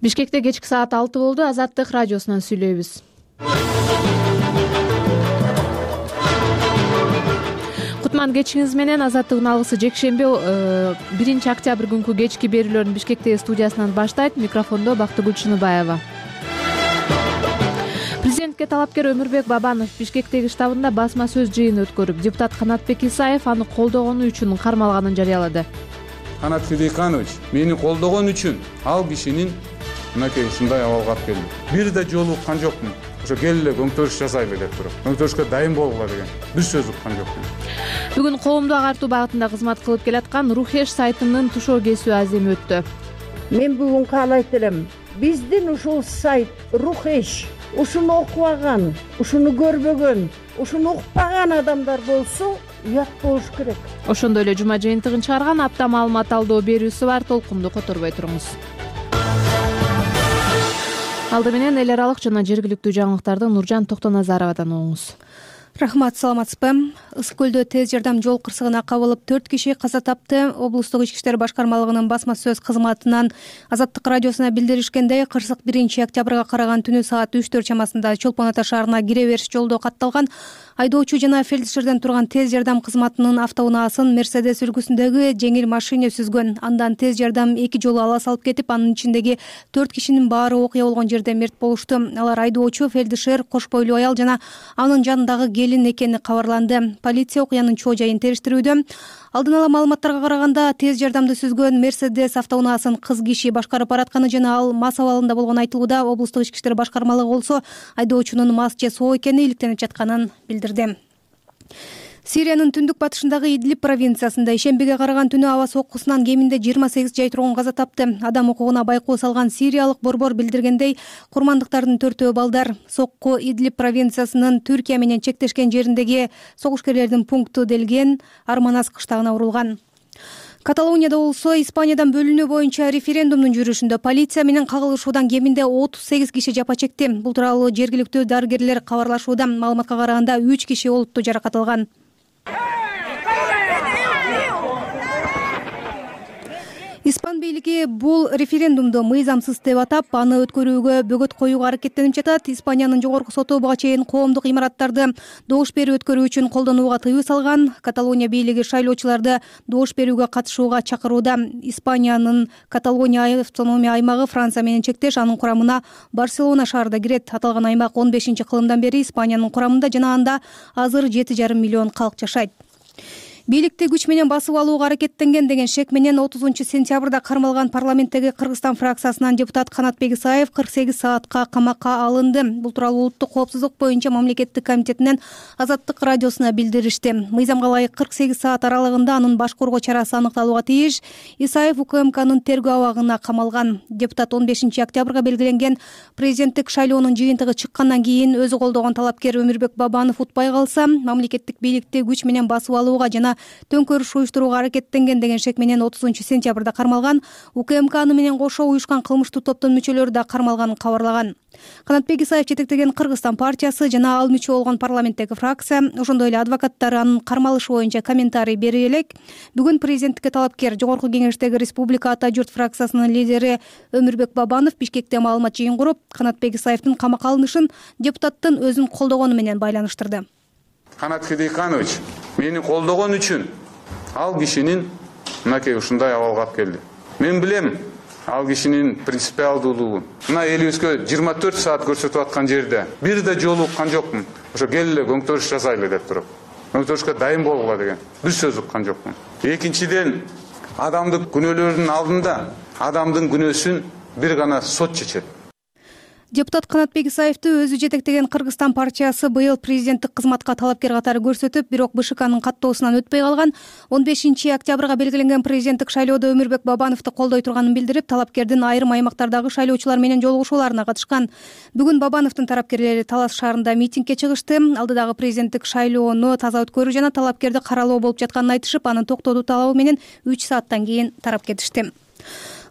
Бишкекте кечки саат 6 болду. Азаттык радиосунан сүйлөйбүз. Кутман кечиңиз менен. Азаттыктын алгысы жекшемби 1 октябрь күнкү кечки берүүлөрүн Бишкектеги студиясынан баштайт. Микрофондо Бактыгүл Чыныбаева. Президентке талапкер Өмүрбек Бабанов Бишкектеги штабында басма сөз жыйыны өткөрүп, депутат Канатбек Исаев аны колдогону үчүн кармалганын жарыялады. Канат Федейканович мени колдогон үчүн ал кишинин мынакей ушундай абалга алып келди. Бир да жолу уккан жокмун. Ошо кел эле көңтөрүш жасайлы деп туруп. Көңтөрүшкө дайын болгула деген бир сөз уккан жокмун. Бүгүн коомду агартуу багытында кызмат кылып келаткан Рухеш сайтынын тушоо кесүү аземи өттү. Мен бүгүн каалайт элем. Биздин ушул сайт Рухеш ушуну окубаган, ушуну көрбөгөн, ушуну укпаган адамдар болсо уят болуш керек. Ошондой эле жума жыйынтыгын чыгарган апта маалымат алдоо берүүсү бар. Толкунду которбой туруңуз. Алды менен эл аралык жана жергиликтүү жаңылыктарды Нуржан Токтоназаровадан угуңуз. Рахмат, саламатсызбы? Ысык көлдө тез жардам жол кырсыгына кабылып 4 киши каза тапты. Облустук ички иштер башкармалыгынын басма сөз кызматынан Азаттык радиосуна билдиришкендей, кырсык 1 октябрга караган түнү саат 3-4 чамасында Чолпон Ата шаарына кире бериш жолдо катталган. Айдоочу жана фельдшерден турган тез жардам кызматынын автоунаасын Мерседес үлгүсүндөгү жеңил машина сүзгөн. Андан тез жардам 2 жолу ала салып кетип, анын ичиндеги 4 кишинин баары окуя болгон жерде мерт болушту. Алар айдоочу, фельдшер, кош бойлуу аял жана анын жанындагы келин экени кабарланды. Полиция окуянын чоо жайын териштирүүдө. Алдын ала маалыматтарга караганда, тез жардамды сүзгөн Мерседес автоунаасын кыз киши башкарып баратканы жана ал мас абалында болгону айтылууда. Облустук ички иштер башкармалыгы болсо айдоочунун мас же соо экени иликтенип жатканын билдирди. Сириянын түндүк батышындагы Идлиб провинциясында ишембиге караган түнү аба соккусунан кеминде 28 жай тургун каза тапты. Адам укугуна байкоо салган сириялык борбор билдиргендей, курмандыктардын 4-өө балдар. Сокку Идлиб провинциясынын Түркия менен чектешкен жериндеги согушкерлердин пункту делген Арманас кыштагына урулган. Каталонияда болсо Испаниядан бөлүнүү боюнча референдумдун жүрүшүндө полиция менен кагылышуудан кеминде 38 киши жапа чекти. Бул тууралуу жергиликтүү дарыгерлер кабарлашууда. Маалыматка караганда 3 киши олуттуу жаракат алган. Испан бийлиги бул референдумду мыйзамсыз деп атап, аны өткөрүүгө бөгөт коюуга аракеттенип жатат. Испаниянын жогорку соту буга чейин коомдук имараттарды добуш берүү өткөрүү үчүн колдонууга тыюу салган. Каталония бийлиги шайлоочуларды добуш берүүгө катышууга чакырууда. Испаниянын Каталония автономия аймагы Франция менен чектеш, анын курамына Барселона шаары да кирет. Аталган аймак 15-кылымдан бери Испаниянын курамында жана анда азыр 7,5 миллион калк жашайт. Бийликти күч менен басып алууга аракеттенген деген шек менен 30-сентябрда кармалган парламенттеги Кыргызстан фракциясынан депутат Канатбек Исаев 48 саатка камакка алынды. Бул тууралуу улуттук коопсуздук боюнча мамлекеттик комитетинен Азаттык радиосуна билдиришти. Мыйзамга ылайык 48 саат аралыгында анын баш коргоо чарасы аныкталууга тийиш. Исаев УКМКнын тергөө абагына камалган. Депутат 15 октябрга белгиленген президенттик шайлоонун жыйынтыгы чыккандан кийин өзү колдогон талапкер Өмүрбек Бабанов утпай калса, мамлекеттик бийликти күч менен басып алууга жана төңкөрүш уюштурууга аракеттенген деген шек менен 30-сентябрда кармалган. УКМК аны менен кошо уюшкан кылмыштуу топтун мүчөлөрү да кармалганын кабарлаган. Канатбек Исаев жетектеген Кыргызстан партиясы жана ал мүчө болгон парламенттеги фракция, ошондой эле адвокаттар анын кармалышы боюнча комментарий бере элек. Бүгүн президенттикке талапкер жогорку кеңештеги Республика Ата журт фракциясынын лидери Өмүрбек Бабанов Бишкекте маалымат жыйын куруп, Канатбек Исаевдин камакка алынышын депутаттын өзүн колдогону менен байланыштырды. Канат Федейканович мени колдогон үчүн ал кишинин мынакей ушундай абалга алып келди. Мен билем ал кишинин принципиалдуулугун. Мына элибизге 24 саат көрсөтүп аткан жерде бир да жолу уккан жокмун. Ошо кел эле көңтөрүш жасайлы деп туруп. Көңтөрүшкө дайын болгула деген бир сөз уккан жокмун. Экинчиден, адамдын күнөөлөрүнүн алдында адамдын күнөөсүн бир гана сот чечет. Депутат Канатбек Исаевди өзү жетектеген Кыргызстан партиясы быйыл президенттик кызматка талапкер катары көрсөтүп, бирок БШКнын каттоосунан өтпөй калган. 15 октябрга белгиленген президенттик шайлоодо Өмүрбек Бабановду колдой турганын билдирип, талапкердин айрым аймактардагы шайлоочулар менен жолугушууларына катышкан. Бүгүн Бабановдун тарапкерлери Талас шаарында митингге чыгышты. Алдыдагы президенттик шайлоону таза өткөрүү жана талапкерди каралоо болуп жатканын айтышып, анын токтотуу талабы менен 3 сааттан кийин тарап кетишти.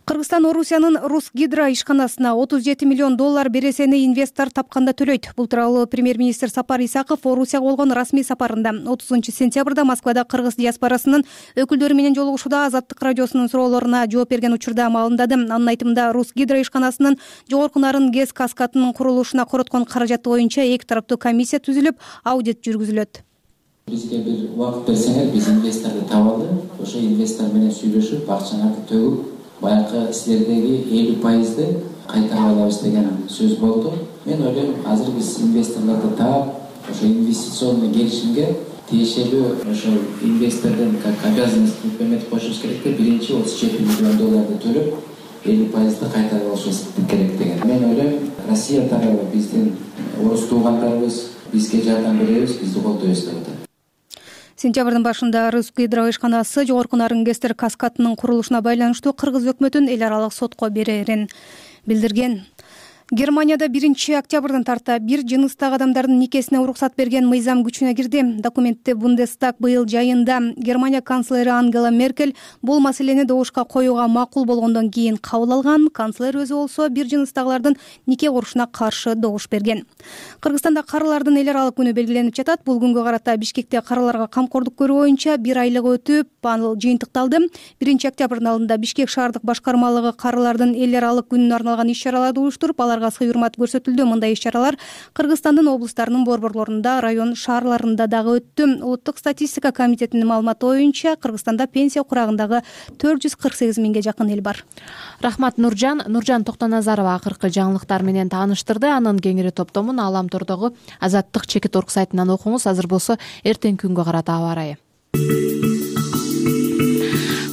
Кыргызстан Орусиянын Русгидро ишканасына 37 миллион доллар бересени инвестор тапканда төлөйт. Бул тууралуу премьер-министр Сапар Исаков Орусияга болгон расмий сапарында 30 сентябрда Москвада кыргыз диаспорасынын өкүлдөрү менен жолугушууда Азаттык радиосунун суроолоруна жооп берген учурда маалымдады. Анын айтымында Русгидро ишканасынын жогорку нарын ГЭС каскадынын курулушуна короткон каражаты боюнча эки тараптуу комиссия түзүлүп, аудит жүргүзүлөт. Бизге бир убакыт берсеңер, биз инвесторду табалы, ошо инвестор менен сүйлөшүп, акчаңарды төгүп, баягы силердеги 50% кайтарып алабыз деген сөз болду. Мен ойлойм, азыр биз инвесторлорду таап, ошо инвестиционный келишимге тиешелүү ошо инвестордун как обязанность өкмөт кошуш керек деп, биринчи 37 миллион долларды төлөп, 50% кайтарып алышыбыз керек деген. Мен ойлойм, Россия тарабы биздин орус туугандарыбыз бизге жардам беребиз, бизди колдойбуз деп атат. Сентябрдын башында Русгидро ишканасы жогорку нарын ГЭСтер каскадынын курулушуна байланыштуу кыргыз өкмөтүн эл аралык сотко берерин билдирген. Германияда 1-октябрдан тарта бир жыныстагы адамдардын никесине уруксат берген мыйзам күчүнө кирди. Документте Бундестаг быйыл жайында Германия канцлери Ангела Меркель бул маселени добушка коюуга макул болгондон кийин кабыл алган. Канцлер өзү болсо бир жыныстагылардын нике курушуна каршы добуш берген. Кыргызстанда карылардын эл аралык күнү белгиленип жатат. Бул күнгө карата Бишкекте карыларга камкордук көрүү боюнча 1 айлык өтүп, ал жыйынтыкталды. 1-октябрдын алдында Бишкек шаардык башкармалыгы карылардын эл аралык күнүнө арналган иш-чараларды уюштуруп, сый-урмат көрсөтүлдү. Мындай иш-чаралар Кыргызстандын облустарынын борборлорунда, район шаарларында дагы өттү. Улуттук статистика комитетинин маалыматы боюнча Кыргызстанда пенсия курагындагы 448 миңге жакын эл бар. Рахмат Нуржан. Нуржан Токтоназарова акыркы жаңылыктар менен тааныштырды. Анын кеңири топтомун Аламтордогу Азаттык чекит орг сайтынан окуңуз. Азыр болсо эртең күнгө карата аба ырайы.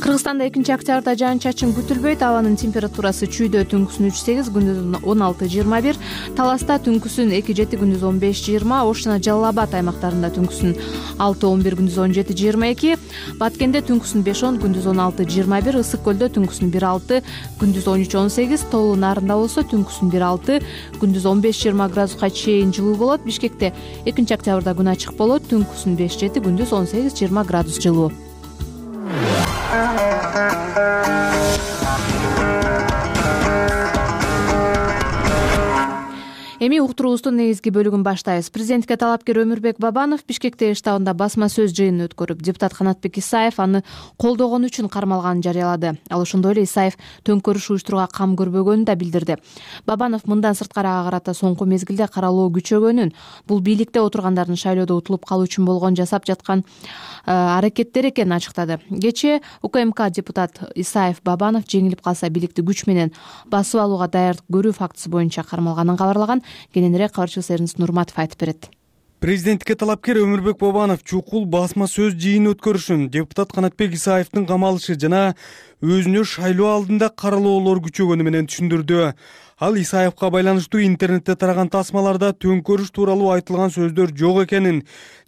Кыргызстанда 2-октябрда жаан-чачын күтүлбөйт. Абанын температурасы чүйдө түнкүсүн 3-8, күндүзүн 16-21, Таласта түнкүсүн 2-7, күндүз 15-20, Ош жана Жалал Абад аймактарында түнкүсүн 6-11, күндүз 17-22, Баткенде түнкүсүн 5-10, күндүз 16-21, Ысык көлдө түнкүсүн 1-6, күндүз 13-18, Тоолуу Нарында болсо түнкүсүн 1-6, күндүз 15-20 градуска чейин жылуу болот. Бишкекте 2-октябрда күн ачык болот, түнкүсүн 5-7, күндүз 18-20 градус жылуу. Эми уктуруубуздун негизги бөлүгүн баштайбыз. Президентке талапкер Өмүрбек Бабанов Бишкекте штабында басма сөз жыйынын өткөрүп, депутат Канатбек Исаев аны колдогон үчүн кармалганын жарыялады. Ал ошондой эле Исаев төңкөрүш уюштурууга кам көрбөгөнүн да билдирди. Бабанов мындан сырткарыга карата соңку мезгилде каралоо күчөгөнүн, бул бийликте отургандардын шайлоодо утулуп калуу үчүн болгон жасап жаткан аракеттер экенин ачыктады. Кечээ УКМК депутат Исаев Бабанов жеңилип калса бийликти күч менен басып алууга даярдык көрүү фактысы боюнча кармалганын кабарлаган. Кененирээк кабарчыбыз Эрнис Нурматов айтып берет. Президентке талапкер Өмүрбек Бабанов чукул басма сөз жыйын өткөрүшүн, депутат Канатбек Исаевдин камалышы жана өзүнө шайлоо алдында каралоолор күчөгөнү менен түшүндүрдү. Ал Исаевка байланыштуу интернетте тараган тасмаларда төңкөрүш тууралуу айтылган сөздөр жок экенин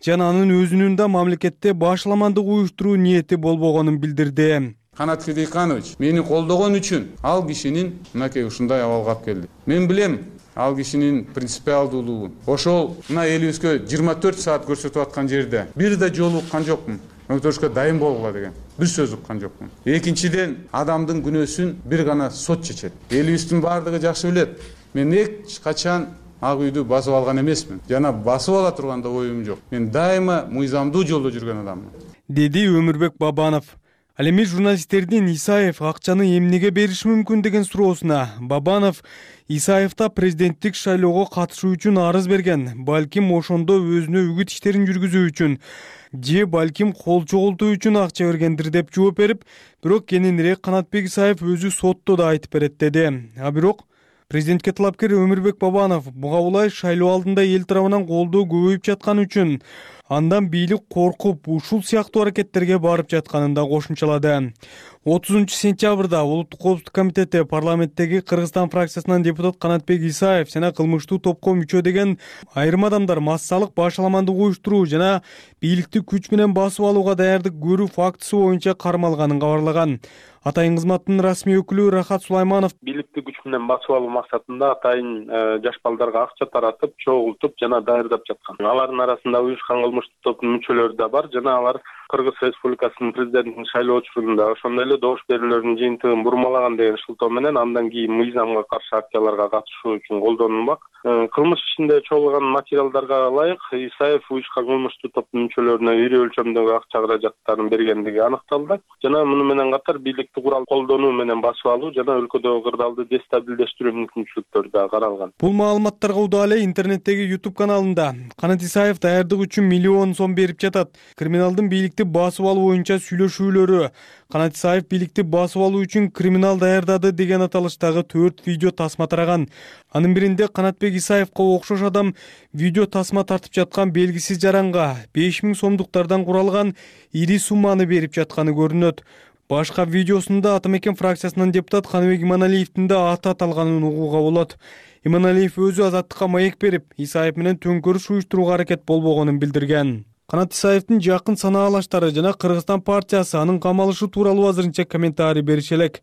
жана анын өзүнүн да мамлекетте башаламандык уюштуруу ниети болбогонун билдирди. Канат Хидиканович мени колдогон үчүн ал кишинин мынакей ушундай абалга алып келди. Мен билем ал кишинин принципиалдуулугун. Ошол мына элибизге 24 саат көрсөтүп аткан жерде бир да жолу уккан жокмун. Өктөрүшкө дайын болгула деген бир сөз уккан жокмун. Экинчиден, адамдын күнөөсүн бир гана сот чечет. Элибиздин баардыгы жакшы билет. Мен эч качан ак үйдү басып алган эмесмин. Жана басып ала турган да оюм жок. Мен дайыма мыйзамдуу жолдо жүргөн адаммын, деди Өмүрбек Бабанов. Ал эми журналисттердин Исаев акчаны эмнеге бериши мүмкүн деген суроосуна Бабанов Исаевда президенттик шайлоого катышуу үчүн арыз берген, балким ошондо өзүнө үгүт иштерин жүргүзүү үчүн же балким кол чогултуу үчүн акча бергендир деп жооп берип, бирок кененирээк Канатбек Исаев өзү сотто да айтып берет деди. А бирок президентке талапкер Өмүрбек Бабанов буга улай шайлоо алдында эл тарабынан колдоо көбөйүп жаткан үчүн андан бийлик коркуп ушул сыяктуу аракеттерге барып жатканын да кошумчалады. 30 сентябрда Улуттук коопсуздук комитети парламенттеги Кыргызстан фракциясынан депутат Канатбек Исаев жана кылмыштуу топко мүчө деген айрым адамдар массалык башаламандык уюштуруу жана бийликти күч менен басып алууга даярдык көрүү фактысы боюнча кармалганын кабарлаган. Атайын кызматтын расмий өкүлү Рахат Сулайманов бийликти күч менен басып алуу максатында атайын жаш балдарга акча таратып, чогултуп жана даярдап жаткан. Алардын арасында уюшкан кылмыштык топтун мүчөлөрү да бар жана алар Кыргыз Республикасынын президентин шайлоо учурунда ошондой эле добуш берүүлөрдүн жыйынтыгын бурмалаган деген шылтоо менен андан кийин мыйзамга каршы акцияларга катышуу үчүн колдонулмак. Кылмыш ишинде чогулган материалдарга ылайык Исаев уюшкан кылмыштык топтун мүчөлөрүнө ири өлчөмдөгү акча каражаттарын бергендиги аныкталды. Жана муну менен катар бийликти курал колдонуу менен басып алуу жана өлкөдөгү кырдаалды дестабилдештирүү мүмкүнчүлүктөрү да каралган. Бул маалыматтарга удаа эле интернеттеги YouTube каналында Канат Исаев даярдык үчүн миллион сом берип жатат. Криминалдын бийликти басып алуу боюнча сүйлөшүүлөрү, Канат Исаев бийликти басып алуу үчүн криминал даярдады деген аталыштагы 4 видео тасма тараган. Анын биринде Канатбек Исаевга окшош адам видео тасма тартып жаткан белгисиз жаранга 5000 сомдуктардан куралган ири сумманы берип жатканы көрүнөт. Башка видеосунда Атамекен фракциясынын депутат Каныбек Иманалиевдин да аты аталганын угууга болот. Иманалиев өзү Азаттыкка маек берип, Исаев менен төңкөрүш уюштурууга аракет болбогонун билдирген. Канат Исаевдин жакын санаалаштары жана Кыргызстан партиясы анын камалышы тууралуу азырынча комментарий бериши элек.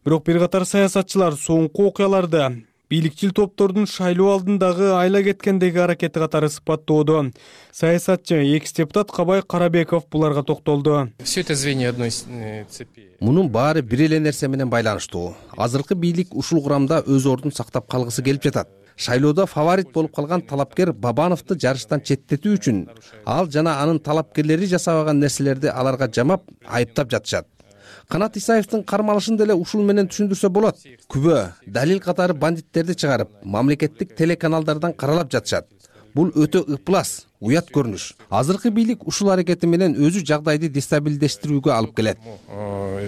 Бирок бир катар саясатчылар соңку окуяларды бийликчил топтордун шайлоо алдындагы айла кеткендеги аракети катары сыпаттоодо. Саясатчы экс-депутат Кабай Карабеков буларга токтолду. Все это звенья одной цепи. Мунун баары бир эле нерсе менен байланыштуу. Азыркы бийлик ушул курамда өз ордун сактап калгысы келип жатат. Шайлоодо фаворит болуп калган талапкер Бабановду жарыштан четтетүү үчүн ал жана анын талапкерлери жасабаган нерселерди аларга жамап, айыптап жатышат. Канат Исаевдин кармалышын деле ушул менен түшүндүрсө болот. Күбө, далил катары бандиттерди чыгарып, мамлекеттик телеканалдардан каралап жатышат. Бул өтө ыплас, уят көрүнүш. Азыркы бийлик ушул аракети менен өзү жагдайды дестабилдештирүүгө алып келет.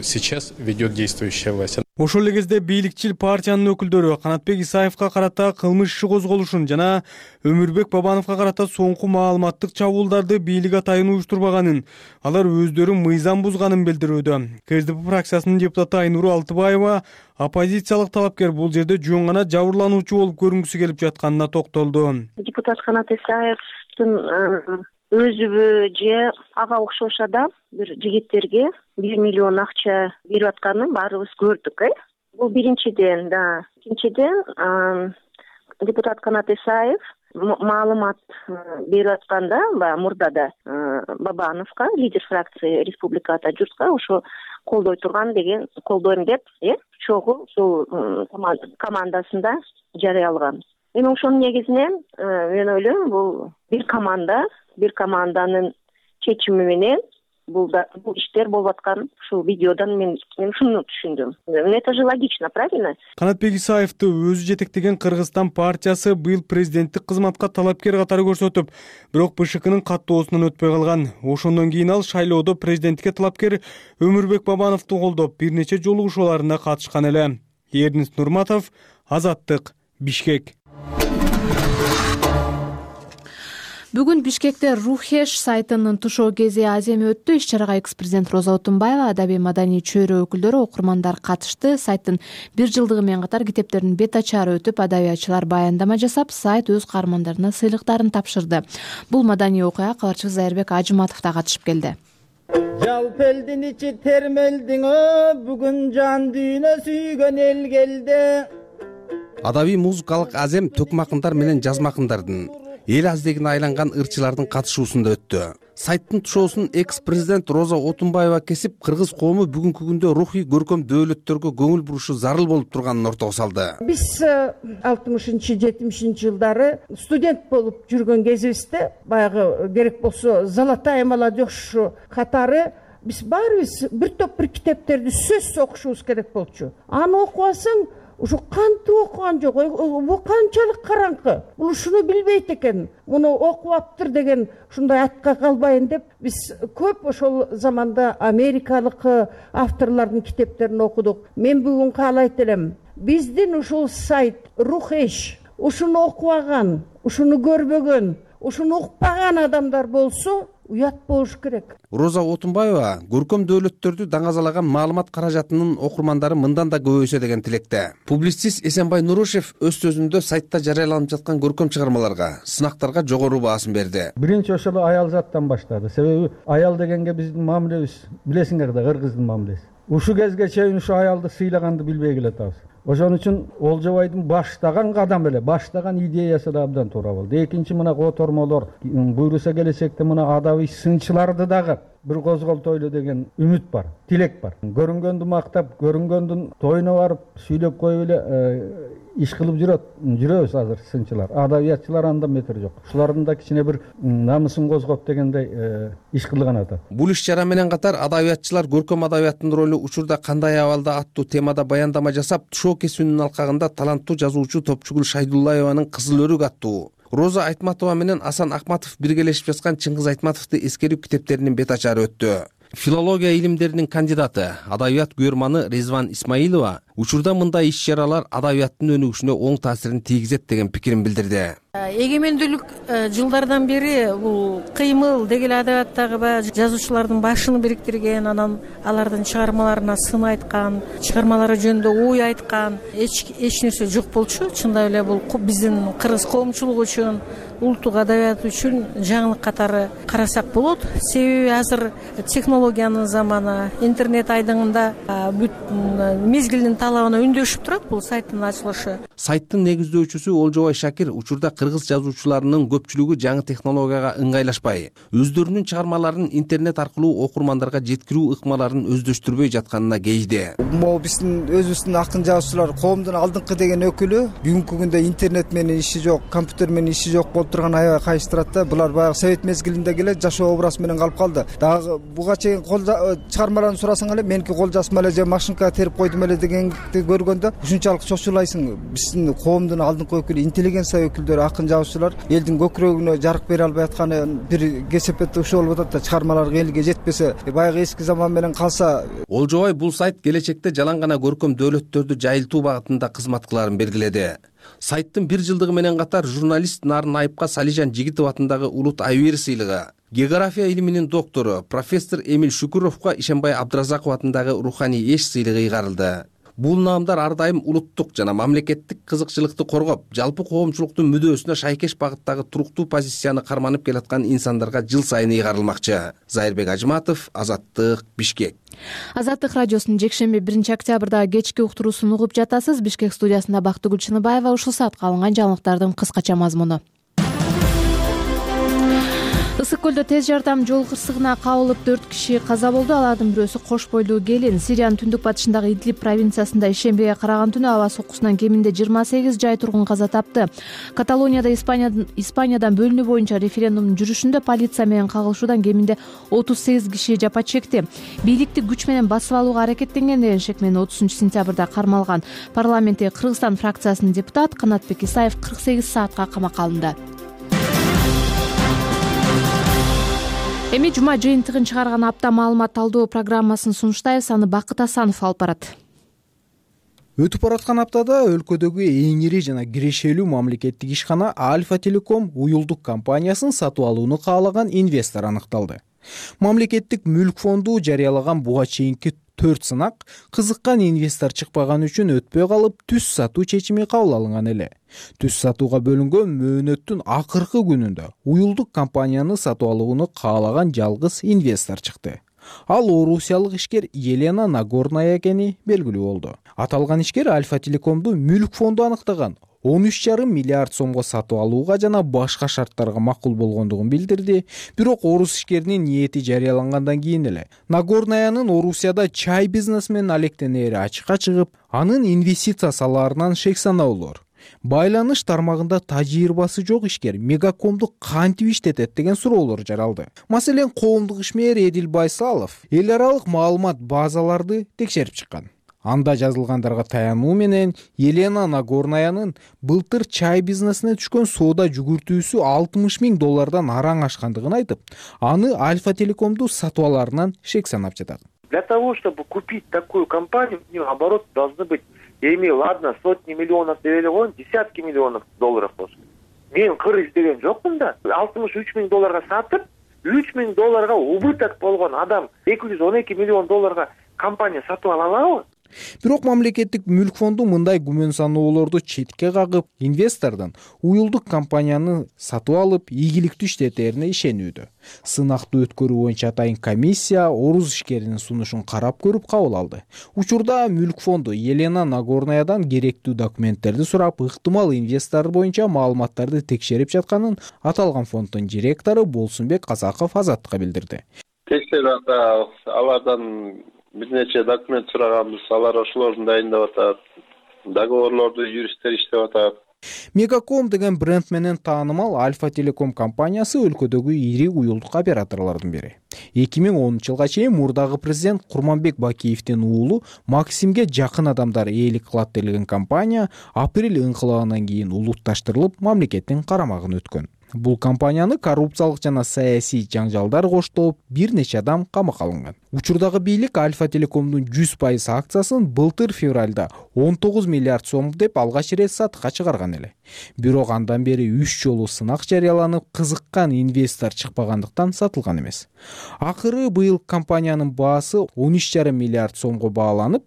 Сейчас ведет действующая власть. Ошол эле кезде бийликчил партиянын өкүлдөрү Канатбек Исаевга карата кылмыш иши козголушун жана Өмүрбек Бабановго карата соңку маалыматтык чабуулдарды бийлик атайын уюштурбаганын, алар өздөрү мыйзам бузганын билдирүүдө. КСДП фракциясынын депутаты Айнура Алтыбаева оппозициялык талапкер бул жерде жөн гана жабырлануучу болуп көрүнгүсү келип жатканына токтолду. Депутат Канат Исаевдин өзүбү же ага окшош адам бир жигиттерге 1 миллион акча берип атканын баарыбыз көрдүк. Бул биринчиден. Экинчиден, депутат Канат Исаев маалымат берип атканда мурда да Бабановго, лидер фракции республикада журтка ошо колдой турган деген, колдойм деп, чогуу ушул командасында жарыялаган. Эми ошонун негизинен мен ойлойм, бул бир команданын чечими менен бул иштер болуп аткан ушул видеодон мен ушуну түшүндүм. Это же логично, правильно? Канатбек Исаевди өзү жетектеген Кыргызстан партиясы быйыл президенттик кызматка талапкер катары көрсөтүп, бирок БШКнын каттоосунан өтпөй калган. Ошондон кийин ал шайлоодо президенттикке талапкер Өмүрбек Бабановду колдоп, бир нече жолугушууларына катышкан эле. Эрдинис Нурматов, Азаттык, Бишкек. Бүгүн Бишкекте Рухеш сайтынын тушоо кези аземи өттү. Иш-чарага экс-президент Роза Отунбаева, адабий маданий чөйрө өкүлдөрү, окурмандар катышты. Сайттын 1 жылдыгы менен катар китептердин бет ачары өтүп, адабиятчылар баяндама жасап, сайт өз каармандарына сыйлыктарын тапшырды. Бул маданий окуяга кабарчыбыз Зайырбек Ажыматов да катышып келди. Жалп элдин ичи термелдиң, бүгүн жан дүйнө сүйгөн эл келди. Адабий музыкалык азем төкмакындар менен жазмакындардын эл аздегине айланган ырчылардын катышуусунда өттү. Сайттын тушоосун экс-президент Роза Отунбаева кесип, кыргыз коому бүгүнкү күндө рухий көркөм дөөлөттөргө көңүл бурушу зарыл болуп турганын ортого салды. Биз 60-70 жылдары студент болуп жүргөн кезибизде, баягы керек болсо Золотая молодежь катары биз баарыбыз бир топ бир китептерди сөзсүз окушубуз керек болчу. Аны окубасаң, ушу кантип окуган жок, бул канчалык караңкы, бул ушуну билбейт экен, муну окуптыр деген ушундай атка калбайын деп биз көп ошол заманда америкалык авторлордун китептерин окудук. Мен бүгүн каалайт элем, биздин ушул сайт Рухеш ушуну окубаган, ушуну көрбөгөн, ушуну укпаган адамдар болсо уят болуш керек. Роза Отунбаева көркөм дөөлөттөрдү даңазалаган маалымат каражатынын окурмандары мындан да көбөйсө деген тилекте. Публицист Эсенбай Нурушев өз сөзүндө сайтта жарыяланып жаткан көркөм чыгармаларга, сынактарга жогору баасын берди. Биринчи ошол аял заттан баштады. Себеби аял дегенге биздин мамилебиз, билесиңер да, кыргыздын мамилеси. Ушу кезге чейин ушу аялды сыйлаганды билбей келатабыз. Ошон үчүн Олжобайдын баштаган кадамы эле, баштаган идеясы да абдан туура болду. Экинчи мына котормолор буйруса келечекте мына адабий сынчыларды дагы бир козголтойлу деген үмүт бар, тилек бар. Көрүнгөндү мактап, көрүнгөндүн тоюна барып сүйлөп коюп эле иш кылып жүрөбүз азыр сынчылар. Адабиятчылар анда метр жок. Ушулардын да кичине бир намысын козгоп дегендей иш кылган атат. Бул иш-чара менен катар адабиятчылар көркөм адабияттын ролу учурда кандай абалда аттуу темада баяндама жасап, шоу кесүүнүн алкагында таланттуу жазуучу Топчугул Шайдуллаеванын Кызыл өрүк аттуу, Роза Айтматова менен Асан Акматов биргелешип жазган Чыңгыз Айтматовду эскерип китептеринин бет ачары өттү. Филология илимдеринин кандидаты, адабият күйөрманы Резван Исмаилова учурда мындай иш-чаралар адабияттын өнүгүшүнө оң таасирин тийгизет деген пикирин билдирди. Эгемендүүлүк жылдардан бери бул кыймыл деги эле адабияттагы баягы жазуучулардын башын бириктирген, анан алардын чыгармаларына сын айткан, чыгармалары жөнүндө ой айткан эч нерсе жок болчу. Чындап эле бул биздин кыргыз коомчулугу үчүн, улуттук адабият үчүн жаңылык катары карасак болот. Себеби азыр технологиянын заманы, интернет айдыңында бүт мезгилдин талабына үндөшүп турат бул сайттын ачылышы. Сайттын негиздөөчүсү Олжобай Шакир учурда кыргыз жазуучуларынын көпчүлүгү жаңы технологияга ыңгайлашпай, өздөрүнүн чыгармаларын интернет аркылуу окурмандарга жеткирүү ыкмаларын өздөштүрбөй жатканына кейди. Могу биздин өзүбүздүн акын жазуучулар коомдун алдыңкы деген өкүлү бүгүнкү күндө интернет менен иши жок, компьютер менен иши жок болуп турган аябай кайыштырат да. Булар баягы совет мезгилинде эле жашоо образ менен калып калды. Дагы буга чейин чыгармаларын сурасаң эле меники кол жазма эле же машинкага терип койдум эле дегенди көргөндө ушунчалык чочулайсың. Биздин коомдун алдыңкы өкүлү, интеллигенция өкүлдөрү, акын жазуучулар элдин көкүрөгүнө жарык бере албай атканы бир кесепетте ушул болуп атат да, чыгармалар элге жетпесе, баягы эски заман менен калса. Олжобай бул сайт келечекте жалаң гана көркөм дөөлөттөрдү жайылтуу багытында кызмат кыларын белгиледи. Сайттын 1 жылдыгы менен катар журналист Нарын Айыпка Салижан Жигитов атындагы Улут Айбери сыйлыгы, география илиминин доктору профессор Эмил Шүкүровго Ишенбай Абдыразаков атындагы Руханий эш сыйлыгы ыйгарылды. Бул наамдар ар дайым улуттук жана мамлекеттик кызыкчылыкты коргоп, жалпы коомчулуктун мүдөөсүнө шайкеш багыттагы туруктуу позицияны карманып келаткан инсандарга жыл сайын ыйгарылмакчы. Зайырбек Ажматов, Азаттык, Бишкек. Азаттык радиосунун жекшемби 1 октябрдагы кечки уктуруусун угуп жатасыз. Бишкек студиясында Бактыгүл Чыныбаева. Ушул саатка алынган жаңылыктардын кыскача мазмуну. Ысык көлдө тез жардам жол кырсыгына кабылып 4 киши каза болду. Алардын бирөөсү кош бойлуу келин. Сириянын түндүк батышындагы Идлиб провинциясында ишембиге караган түнү аба соккусунан кеминде 28 жай тургун каза тапты. Каталонияда Испаниядан бөлүнүү боюнча референдумдун жүрүшүндө полиция менен кагылышуудан кеминде 38 киши жапа чекти. Бийликти күч менен басып алууга аракеттенген деген шек менен 30-сентябрда кармалган парламенттеги Кыргызстан фракциясынын депутат Канатбек Исаев 48 саатка камакка алынды. Эми жума жыйынтыгын чыгарган апта маалымат талдоо программасын сунуштайбыз. Аны Бакыт Асанов алып барат. Өтүп бараткан аптада өлкөдөгү эң ири жана кирешелүү мамлекеттик ишкана Альфа Телеком уюлдук компаниясын сатып алууну каалаган инвестор аныкталды. Мамлекеттик мүлк фонду жарыялаган буга чейинки 4 сынак кызыккан инвестор чыкпаган үчүн өтпөй калып түз сатуу чечими кабыл алынган эле. Түз сатууга бөлүнгөн мөөнөттүн акыркы күнүндө уюлдук компанияны сатып алууну каалаган жалгыз инвестор чыкты. Ал орусиялык ишкер Елена Нагорная экени белгилүү болду. Аталган ишкер Альфа Телекомду мүлк фонду аныктаган 13,5 миллиард сомго сатып алууга жана башка шарттарга макул болгондугун билдирди. Бирок орус ишкеринин ниети жарыялангандан кийин эле Нагорнаянын Орусияда чай бизнеси менен алектенери ачыкка чыгып, анын инвестиция салаарынан шек санаулар. Байланыш тармагында тажрыйбасы жок ишкер Мегакомду кантип иштетет деген суроолор жаралды. Маселен, коомдук ишмер Эдил Байсалов эл аралык маалымат базаларды текшерип чыккан. Анда жазылгандарга таянуу менен Елена Нагорнаянын былтыр чай бизнесине түшкөн соода жүгүртүүсү $60,000 араң ашкандыгын айтып, аны Альфа Телекомду сатып алаарынан шек санап жатат. Для того, чтобы купить такую компанию, у нее оборот должны быть, я имею, ладно, сотни миллионов $, десятки миллионов долларов болсун. Мен кыр издеген жокмун да. $63,000 сатып, $3,000 убыток болгон адам $212 миллион компания сатып ала алабы? Бирок мамлекеттик мүлк фонду мындай күмөн саноолорду четке кагып, инвестордун уюлдук компанияны сатып алып, ийгиликтүү иштетерине ишенүүдө. Сынакты өткөрүү боюнча атайын комиссия орус ишкеринин сунушун карап көрүп кабыл алды. Учурда мүлк фонду Елена Нагорнаядан керектүү документтерди сурап, ыктымал инвестор боюнча маалыматтарды текшерип жатканын аталган фонддун директору Болсунбек Казаков Азаттыкка билдирди. Текшерип атабыз, алардан бир нече документ сураганбыз, алар ошолорду дайындап атат, договорлорду юристтер иштеп атат. Мегаком деген бренд менен таанымал Альфа Телеком компаниясы өлкөдөгү ири уюлдук операторлордун бири. 2010-жылга чейин мурдагы президент Курманбек Бакиевдин уулу Максимге жакын адамдар ээлик кылат делген компания апрель ыңкылабынан кийин улутташтырылып, мамлекеттин карамагына өткөн. Бул компанияны коррупциялык жана саясий жаңжалдар коштоп, бир нече адам камакка алынган. Учурдагы бийлик Альфа Телекомдун 100% акциясын былтыр февралда 19 миллиард сом деп алгач ирет сатыкка чыгарган эле. Бирок андан бери 3 жолу сынак жарыяланып, кызыккан инвестор чыкпагандыктан сатылган эмес. Акыры быйыл компаниянын баасы 13,5 миллиард сомго бааланып,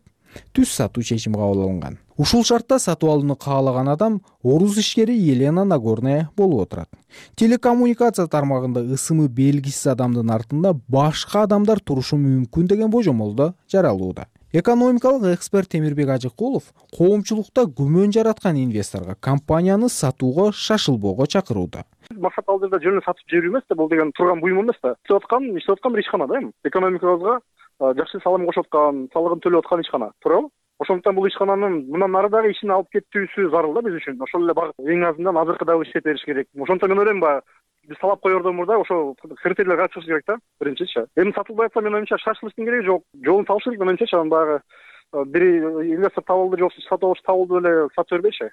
түз сатуу чечими кабыл алынган. Ушул шартта сатып алууну каалаган адам орус ишкери Елена Нагорная болуп отурат. Телекоммуникация тармагында ысымы белгисиз адамдын артында башка адамдар турушу мүмкүн деген божомолдо жаралууда. Экономикалык эксперт Темирбек Ажыкулов коомчулукта күмөн жараткан инвесторго компанияны сатууга шашылбоого чакырууда. Максат ал жерде жөн эле сатып жиберүү эмес да, бул деген турган буюм эмес да. Иштеп аткан бир ишкана да эми. Экономикабызга жакшы салым кошуп аткан, салыгын төлөп аткан ишкана, туурабы? Ошондуктан бул ишкананын мындан ары дагы ишин алып кетүүсү зарыл да биз үчүн. Ошол эле багыт эң азынан азыркы дагы иштеп бериш керек. Ошондуктан мен ойлойм, баягы биз талап коердон мурда ошо критерийлерге чыгыш керек да, биринчичи. Эми сатылбай атса, мен оюмча шашылыштын кереги жок. Жолун табыш керек, мен оюмча, анан баягы бир инвестор табылды, жок сатып алыш табылды эле сатып бербейчи.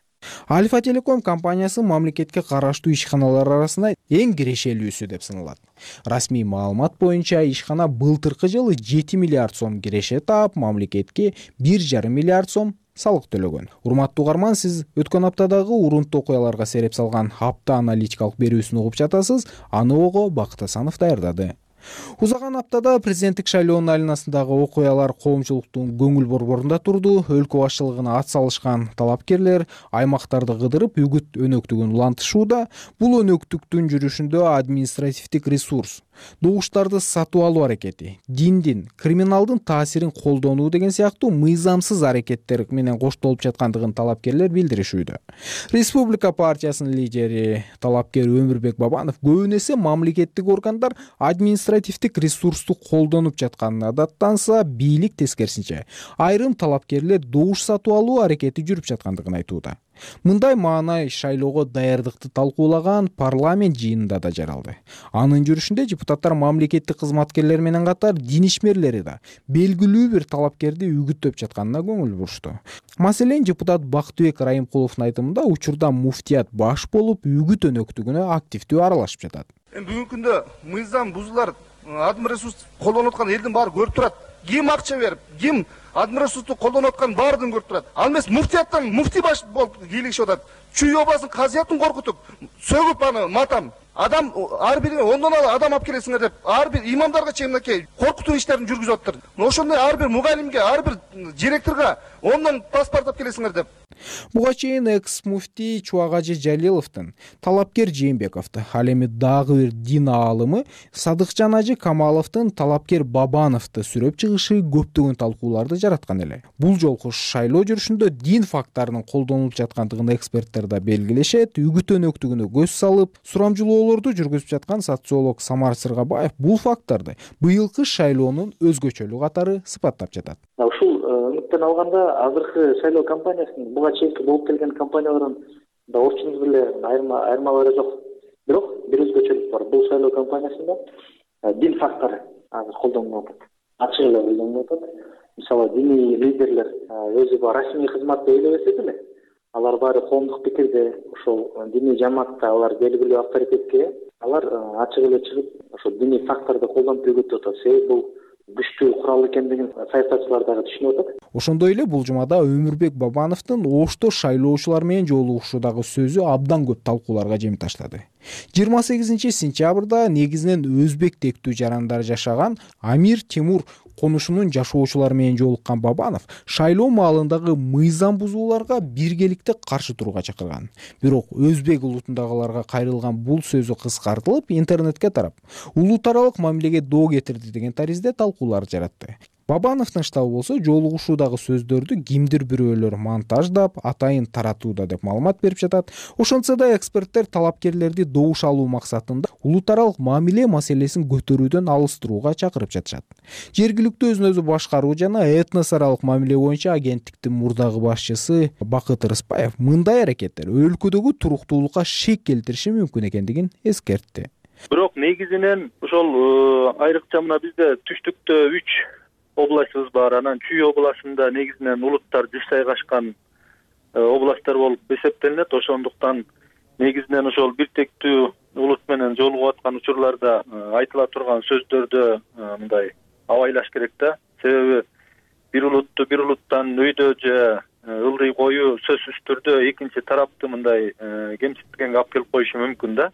Альфа Телеком компаниясы мамлекетке караштуу ишканалар арасында эң кирешелүүсү деп саналат. Расмий маалымат боюнча ишкана былтыркы жылы 7 миллиард сом киреше таап, мамлекетке 1,5 миллиард сом салык төлөгөн. Урматтуу угарман, сиз өткөн аптадагы урунттуу окуяларга сереп салган апта аналитикалык берүүсүн угуп жатасыз. Аны ого Бакыт Асанов даярдады. Узаган аптада президенттик шайлоонун айланасындагы окуялар коомчулуктун көңүл борборунда турду. Өлкө башчылыгына ат салышкан талапкерлер аймактарды кыдырып, үгүт өнөктүгүн улантышууда. Бул өнөктүктүн жүрүшүндө административдик ресурс, добуштарды сатып алуу аракети, диндин, криминалдын таасирин колдонуу деген сыяктуу мыйзамсыз аракеттер менен коштолуп жаткандыгын талапкерлер билдиришүүдө. Республика партиясынын лидери талапкер Өмүрбек Бабанов көбүн эсе мамлекеттик органдар административдик ресурсту колдонуп жатканына даттанса, бийлик тескерисинче айрым талапкерлер добуш сатып алуу аракети жүрүп жаткандыгын айтууда. Мындай маанай шайлоого даярдыкты талкуулаган парламент жыйынында да жаралды. Анын жүрүшүндө депутаттар мамлекеттик кызматкерлер менен катар дин ишмерлери да белгилүү бир талапкерди үгүттөп жатканына көңүл бурушту. Маселен, депутат Бактыбек Райымкуловдун айтымында учурда муфтият баш болуп, үгүт өнөктүгүнө активдүү аралашып жатат. Бүгүнкү күндө мыйзам бузулар, админ ресурс колдонуп аткан элдин баары көрүп турат. Ким акча берип, ким админ ресурсту колдонуп аткан баардыгын көрүп турат. Ал эмес муфтияттан муфти баш болуп кийлигишип атат. Чүй обасын, казыятын коркутуп, сөгүп аны матам. Адам ар бирине 10 адам алып келесиңер деп, ар бир имамдарга чейин мынакей коркутуу иштерин жүргүзүп атыптыр. Ошондой ар бир мугалимге, ар бир директорго 10 паспорт алып келесиңер деп. Буга чейин экс-муфти Чубагажы Жалиловдун, талапкер Жээнбековду, ал эми дагы бир дин аалымы Садыкжан Ажы Камаловдун талапкер Бабановду сүрөп чыгышы көптөгөн талкууларды жараткан эле. Бул жолку шайлоо жүрүшүндө дин факттарынын колдонулуп жаткандыгын эксперттер да белгилешет. Үгүт өнөктүгүнө көз салып, сурамжылоолорду жүргүзүп жаткан социолог Самар Сыргабаев бул факттарды быйылкы шайлоонун өзгөчөлүгү катары сыпаттап жатат. Ушул үмүттөн алганда азыркы шайлоо кампаниясынын буга чейинки болуп келген кампаниялардын да орчундуу эле айырмалары жок. Бирок бир өзгөчөлүк бар. Бул шайлоо кампаниясында дин фактору азыр колдонулуп атат. Ачык эле колдонулуп атат. Мисалы, диний лидерлер өзү расмий кызматты өйлөбөсө деле, алар баары коомдук пикирде, ошол диний жамаатта алар белгилүү авторитетке, алар ачык эле чыгып, ошол диний факторду колдонуп өгүтүп атат. Себеби бул күчтүү курал экендигин саясатчылар дагы түшүнүп атат. Ошондой эле бул жумада Өмүрбек Бабановдун Ошто шайлоочулар менен жолугушуудагы сөзү абдан көп талкууларга жем таштады. 28 сентябрда негизинен өзбек тектүү жарандар жашаган Амир Темур конушунун жашоочулары менен жолуккан Бабанов шайлоо маалындагы мыйзам бузууларга биргеликте каршы турууга чакырган. Бирок өзбек улутундагыларга кайрылган бул сөзү кыскартылып интернетке тарап, улут аралык мамилеге доо кетирди деген таризде талкуулар жаратты. Бабановдун штабы болсо жолугушуудагы сөздөрдү кимдир бирөөлөр монтаждап, атайын таратууда деп маалымат берип жатат. Ошентсе да эксперттер талапкерлерди добуш алуу максатында улут аралык мамиле маселесин көтөрүүдөн алыстырууга чакырып жатышат. Жергиликтүү өзүн өзү башкаруу жана этнос аралык мамиле боюнча агенттиктин мурдагы башчысы Бакыт Рыспаев мындай аракеттер өлкөдөгү туруктуулукка шек келтириши мүмкүн экендигин эскертти. Бирок негизинен ошол айрыкча мына бизде түштүктө 3 областыбыз бар. Анан Чүй областында негизинен улуттар жайгашкан областтар болуп эсептелинет. Ошондуктан негизинен ошол бир тектүү улут менен жолугуп аткан учурларда айтыла турган сөздөрдө мындай абайлаш керек да. Себеби бир улуттан өйдө же ылдый коюу сөзсүз түрдө экинчи тарапты мындай кемситкенге алып келип коюшу мүмкүн да.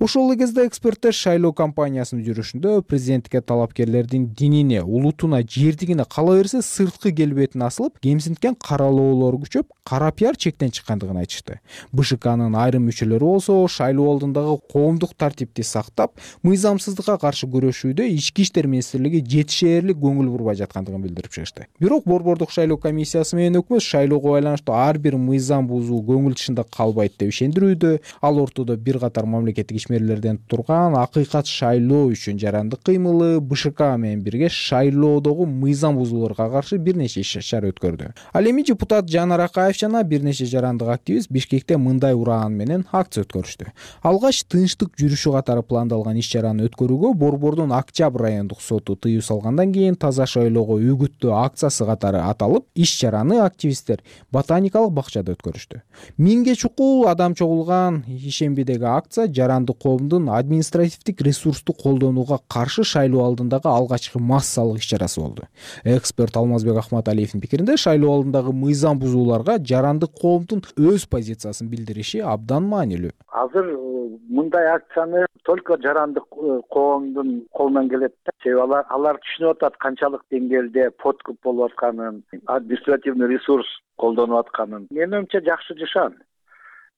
Ошол эле кезде эксперттер шайлоо кампаниясынын жүрүшүндө президенттикке талапкерлердин динине, улутуна, жердигине кала берсе сырткы келбетин асылып, кемсинткен каралоолор күчөп, кара пиар чектен чыккандыгын айтышты. БШКнын айрым мүчөлөрү болсо шайлоо алдындагы коомдук тартипти сактап, мыйзамсыздыкка каршы күрөшүүдө ички иштер министрлиги жетишээрлик көңүл бурбай жаткандыгын билдирип чыгышты. Бирок Борбордук шайлоо комиссиясы менен өкмөт шайлоого байланыштуу ар бир мыйзам бузуу көңүл тышында калбайт деп ишендирүүдө. Ал ортодо бир катар мамлекеттик ишмерлерден турган акыйкат шайлоо үчүн жарандык кыймылы БШК менен бирге шайлоодогу мыйзам бузууларга каршы бир нече иш-чара өткөрдү. Ал эми депутат Жанар Акаев жана бир нече жарандык активист Бишкекте мындай ураан менен акция өткөрүштү. Алгач тынчтык жүрүшү катары пландалган иш-чараны өткөрүүгө Борбордун Октябрь райондук соту тыюу салгандан кийин таза шайлоого үгүттөө акциясы катары аталып, иш-чараны активисттер ботаникалык бакчада өткөрүштү. 1000ге чукул адам чогулган ишембидеги акция жарандык коомдун административдик ресурсту колдонууга каршы шайлоо алдындагы алгачкы массалык иш-чарасы болду. Эксперт Алмазбек Ахматалиевдин пикиринде шайлоо алдындагы мыйзам бузууларга жарандык коомдун өз позициясын билдириши абдан маанилүү. Азыр мындай акцияны только жарандык коомдун колунан келет. Себеби алар түшүнүп атат канчалык деңгээлде подкуп болуп атканын, административный ресурс колдонуп атканын. Менин оюмча жакшы жашан.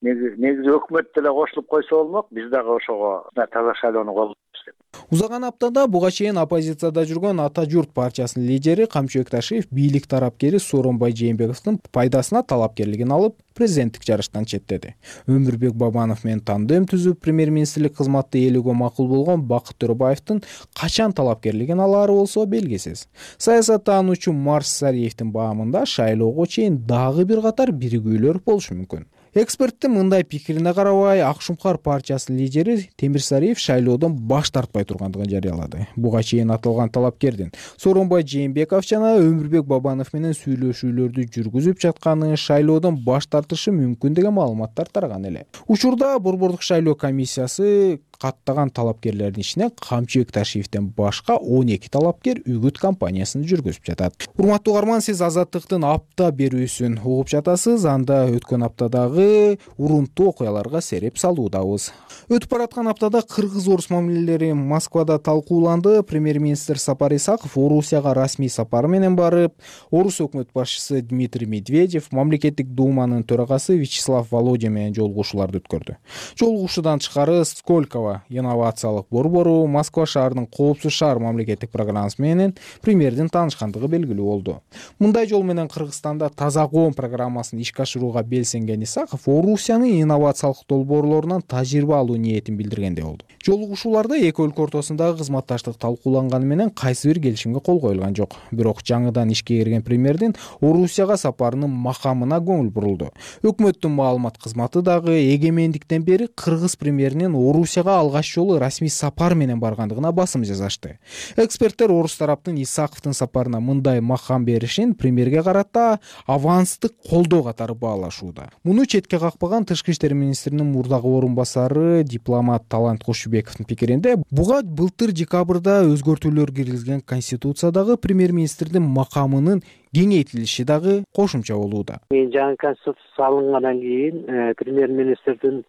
Негизи өкмөт деле кошулуп койсо болмок, биз дагы ошого таза шайлоону колдойбуз деп. Узаган аптада буга чейин оппозицияда жүргөн Ата журт партиясынын лидери Камчыбек Ташиев бийлик тарапкери Сооронбай Жээнбековдун пайдасына талапкерлигин алып, президенттик жарыштан четтеди. Өмүрбек Бабанов менен тандем түзүп, премьер-министрлик кызматты ээлөөгө макул болгон Бакыт Төрөбаевдин качан талапкерлигин алаары болсо белгисиз. Саясаттануучу Марс Сариевдин баамында шайлоого чейин дагы бир катар биригүүлөр болушу мүмкүн. Эксперттин мындай пикирине карабай, Ак Шумкар партиясынын лидери Темир Сариев шайлоодон баш тартпай тургандыгын жарыялады. Буга чейин аталган талапкердин Сооронбай Жээнбеков жана Өмүрбек Бабанов менен сүйлөшүүлөрдү жүргүзүп жатканы, шайлоодон баш тартышы мүмкүн деген маалыматтар тараган эле. Учурда Борбордук шайлоо комиссиясы каттаган талапкерлердин ичинен Камчыбек Ташиевден башка 12 талапкер үгүт кампаниясын жүргүзүп жатат. Урматтуу угарман, сиз Азаттыктын апта берүүсүн угуп жатасыз. Анда өткөн аптадагы урунттуу окуяларга сереп салуудабыз. Өтүп бараткан аптада кыргыз-орус мамилелери Москвада талкууланды. Премьер-министр Сапар Исаков Орусияга расмий сапар менен барып, орус өкмөт башчысы Дмитрий Медведев, мамлекеттик думанын төрагасы Вячеслав Володин менен жолугушууларды өткөрдү. Жолугушуудан тышкары Сколково инновациялык борбору, Москва шаарынын коопсуз шаар мамлекеттик программасы менен премьердин таанышкандыгы белгилүү болду. Мындай жол менен Кыргызстанда таза коом программасын ишке ашырууга белсенген Исаков Орусиянын инновациялык долбоорлорунан тажрыйба алуу ниетин билдиргендей болду. Жолугушууларда эки өлкө ортосундагы кызматташтык талкууланганы менен кайсы бир келишимге кол коюлган жок. Бирок жаңыдан ишке кирген премьердин Орусияга сапарынын макамына көңүл бурулду. Өкмөттүн маалымат кызматы дагы эгемендиктен бери кыргыз премьеринин Орусияга алгач жолу расмий сапар менен баргандыгына басым жасашты. Эксперттер орус тараптын Исаковдун сапарына мындай макам беришин премьерге карата аванстык колдоо катары баалашууда. Муну четке какпаган Тышкы иштер министринин мурдагы орун басары дипломат Талант Кошубековдун пикиринде, буга былтыр декабрда өзгөртүүлөр киргизилген конституциядагы премьер-министрдин макамынын кеңейтилиши дагы кошумча болууда. Жаңы конституция салынгандан кийин премьер-министрдин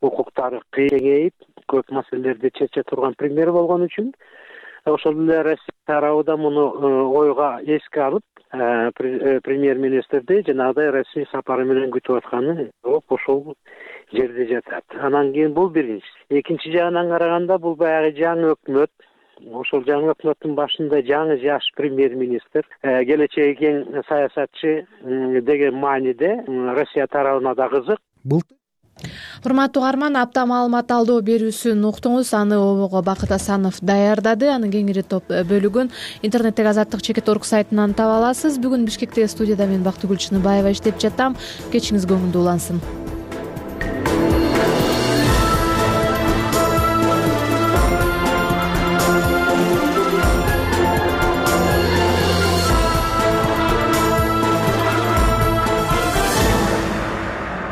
укуктары кеңейип, көп маселелерди чече турган премьер болгон үчүн ошол эле Россия тарабы да муну ойго эске алып премьер министрди жанагыдай расмий сапары менен күтүп атканы ошол жерде жатат. Анан кийин бул биринчи. Экинчи жагынан караганда бул баягы жаңы өкмөт, ошол жаңы өкмөттүн башында жаңы жаш премьер министр, келечеги кең саясатчы деген мааниде Россия тарабына да кызык. Урматтуу угарман, апта маалымат алдоо берүүсүн уктуңуз. Аны обого Бакыт Асанов даярдады. Анын кеңири топ бөлүгүн интернеттеги azatlyk.org сайтынан таба аласыз. Бүгүн Бишкектеги студияда мен Бактыгүл Чыныбаева иштеп жатам. Кечиңиз көңүлдүү улансын.